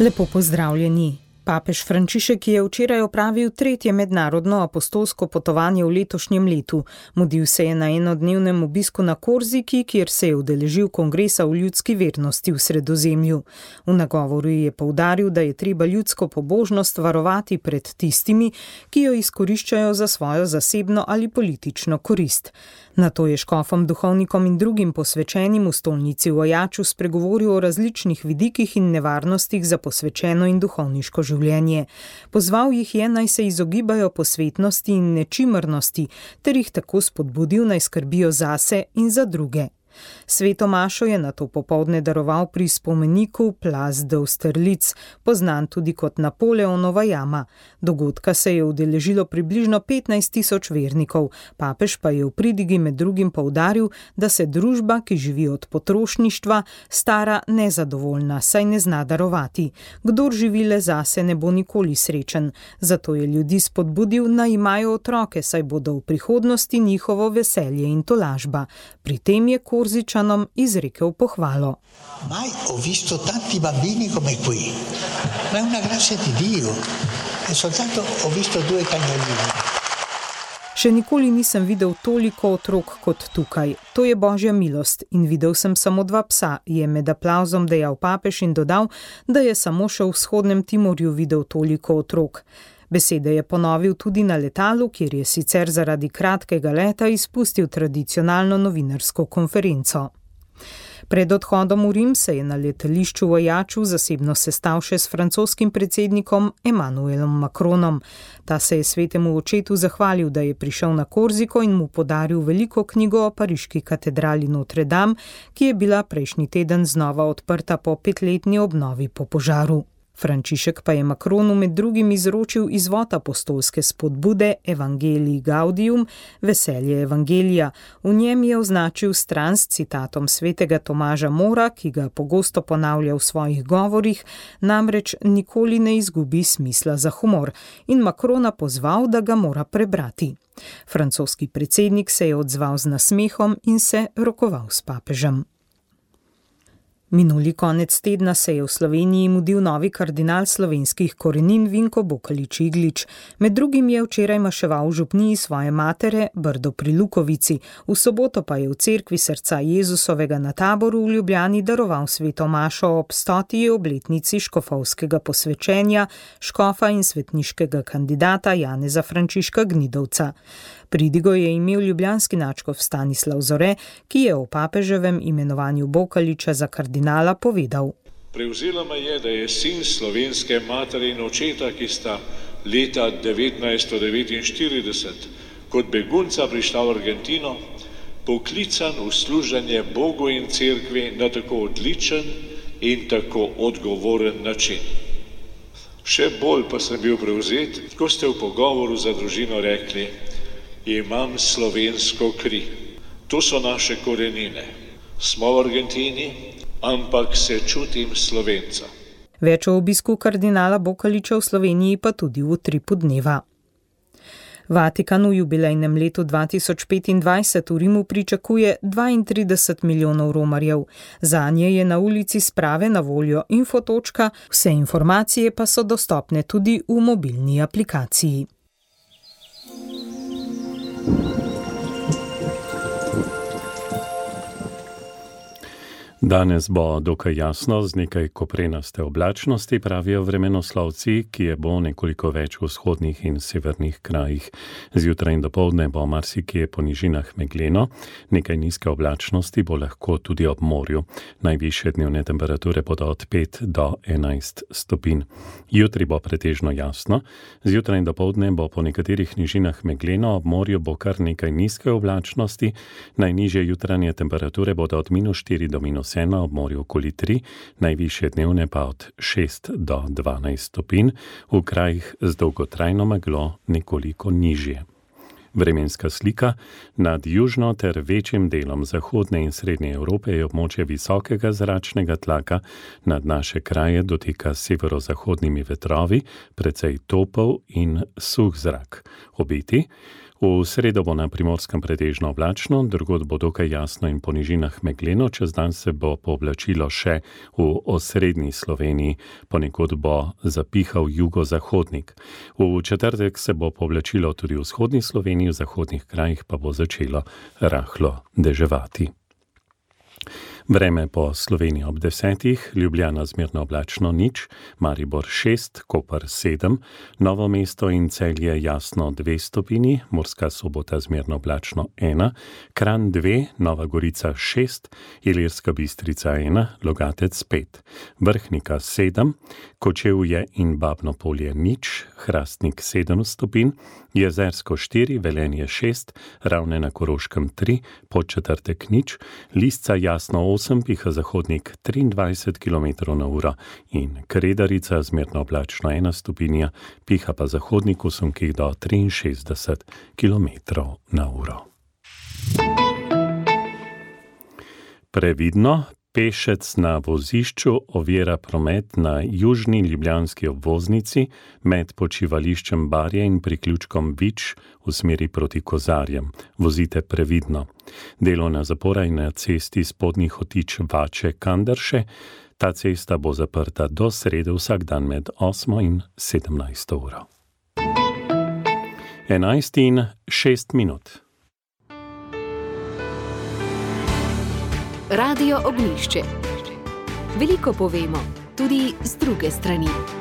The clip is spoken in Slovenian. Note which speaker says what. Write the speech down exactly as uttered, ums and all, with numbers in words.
Speaker 1: Lepo pozdravljeni. Papež Frančišek je včeraj opravil tretje mednarodno apostolsko potovanje v letošnjem letu. Mudil se je na enodnevnem obisku na Korziki, kjer se je udeležil kongresa o ljudski vernosti v Sredozemlju. V nagovoru je poudaril, da je treba ljudsko pobožnost varovati pred tistimi, ki jo izkoriščajo za svojo zasebno ali politično korist. Nato je škofom, duhovnikom in drugim posvečenim v stolnici v Ajaču spregovoril o različnih vidikih in nevarnostih za posvečeno in duhovniško življenje. Pozval jih je, naj se izogibajo posvetnosti in nečimrnosti, ter jih tako spodbudil, naj skrbijo zase in za druge. Sveto mašo je nato popoldne daroval pri spomeniku Place d'Austerlitz, poznan tudi kot Napoleonova jama. Dogodka se je udeležilo približno petnajst tisoč vernikov, papež pa je v pridigi med drugim poudaril, da se družba, ki živi od potrošništva, stara nezadovoljna, saj ne zna darovati. Kdor živi le zase, ne bo nikoli srečen. Zato je ljudi spodbudil, naj imajo otroke, saj bodo v prihodnosti njihovo veselje in tolažba. Pri tem je Korzičanom izrekel pohvalo.
Speaker 2: Mai ho visto tanti bambini come qui. Ma è una grazia di Dio. E soltanto ho visto due cagnolini.
Speaker 1: Še nikoli nisem videl toliko otrok kot tukaj. To je božja milost in videl sem samo dva psa, je med aplavzom dejal papež in dodal, da je samo še v vzhodnem Timorju videl toliko otrok. Besede je ponovil tudi na letalu, kjer je sicer zaradi kratkega leta izpustil tradicionalno novinarsko konferenco. Pred odhodom v Rim se je na letališču v Ajaču zasebno sestal še s francoskim predsednikom Emmanuelom Macronom. Ta se je svetemu očetu zahvalil, da je prišel na Korziko in mu podaril veliko knjigo o pariški katedrali Notre Dame, ki je bila prejšnji teden znova odprta po petletni obnovi po požaru. Frančišek pa je Macronu med drugim izročil izvod apostolske spodbude Evangelii Gaudium, veselje evangelija. V njem je označil stran s citatom svetega Tomaža Mora, ki ga pogosto ponavlja v svojih govorih, namreč nikoli ne izgubi smisla za humor, in Macrona pozval, da ga mora prebrati. Francoski predsednik se je odzval z nasmehom in se rokoval s papežem. Minuli konec tedna se je v Sloveniji mudil novi kardinal slovenskih korenin Vinko Bokalič-Iglič. Med drugim je včeraj maševal v župniji svoje matere Brdo pri Lukovici, v soboto pa je v cerkvi srca Jezusovega na Taboru v Ljubljani daroval sveto mašo ob stoti obletnici škofovskega posvečenja škofa in svetniškega kandidata Janeza Frančiška Gnidovca. Pridigo je imel ljubljanski nadškof Stanislav Zore, ki je o papeževem imenovanju Bokaliča za kardinala povedal.
Speaker 3: Prevzelo me je, da je sin slovenske matere in očeta, ki sta leta devetnajststo devetinštirideset kot begunca prišla v Argentino, poklican v služenje Bogu in cerkvi na tako odličen in tako odgovoren način. Še bolj pa sem bil prevzet, ko ste v pogovoru za družino rekli: imam slovensko kri. To so naše korenine. Smo v Argentini, ampak se čutim Slovenca.
Speaker 1: Več o obisku kardinala Bokaliča v Sloveniji pa tudi v utripu dneva. Vatikan v jubilejnem letu dva tisoč petindvajset v Rimu pričakuje dvaintrideset milijonov romarjev. Zanje je na ulici sprave na voljo infotočka, vse informacije pa so dostopne tudi v mobilni aplikaciji.
Speaker 4: Danes bo dokaj jasno z nekaj koprenaste oblačnosti, pravijo vremenoslovci, ki je bo nekoliko več v vzhodnih in severnih krajih. Zjutraj in dopoldne bo marsikje po nižinah megleno, nekaj nizke oblačnosti bo lahko tudi ob morju. Najvišje dnevne temperature bodo od pet do enajst stopinj. Jutri bo pretežno jasno, zjutraj in dopoldne bo po nekaterih nižinah megleno, ob morju bo kar nekaj nizke oblačnosti, najnižje jutranje temperature bodo od minus štiri do minus ena, ob morju okoli tri, najvišje dnevne pa od šest do dvanajst stopinj, v krajih z dolgotrajno meglo nekoliko nižje. Vremenska slika. Nad južno ter večjim delom zahodne in srednje Evrope je območje visokega zračnega tlaka, nad naše kraje doteka s severozahodnimi vetrovi, precej topel in suh zrak. obeti. V sredo bo na Primorskem pretežno oblačno, drugod bo dokaj jasno in po nižinah megleno, čez dan se bo pooblačilo še v osrednji Sloveniji, ponekod bo zapihal jugozahodnik. V četrtek se bo pooblačilo tudi v vzhodni Sloveniji, v zahodnih krajih pa bo začelo rahlo deževati. Vreme po Sloveniji ob desetih, Ljubljana zmerno oblačno nič, Maribor šest, Koper sedem, Novo mesto in Celje jasno dve stopinji, Murska Sobota zmerno oblačno ena, Kranj dve, Nova Gorica šest, Ilirska Bistrica ena, Logatec pet, Vrhnika sedem, Kočevje in Babno Polje nič, Hrastnik sedem stopinj, Jezersko štiri, Velenje šest, Ravne na Koroškem tri, Podčetrtek nič, Lisca jasno osem, piha zahodnik triindvajset kilometrov na uro in Kredarica zmerno oblačno ena stopinja, piha pa zahodnik v sunkih do triinšestdeset kilometrov na uro. Previdno, pešec na vozišču ovira promet na južni ljubljanski obvoznici med počivališčem Barje in priključkom Vič v smeri proti Kozarjem. Vozite previdno. Delovna zapora je na cesti Spodnji Hotič Vače Kandrše. Ta cesta bo zaprta do srede vsak dan med osmo in sedemnajsto uro. enajst in šest minut.
Speaker 5: Radio Ognjišče. Veliko povemo, tudi z druge strani.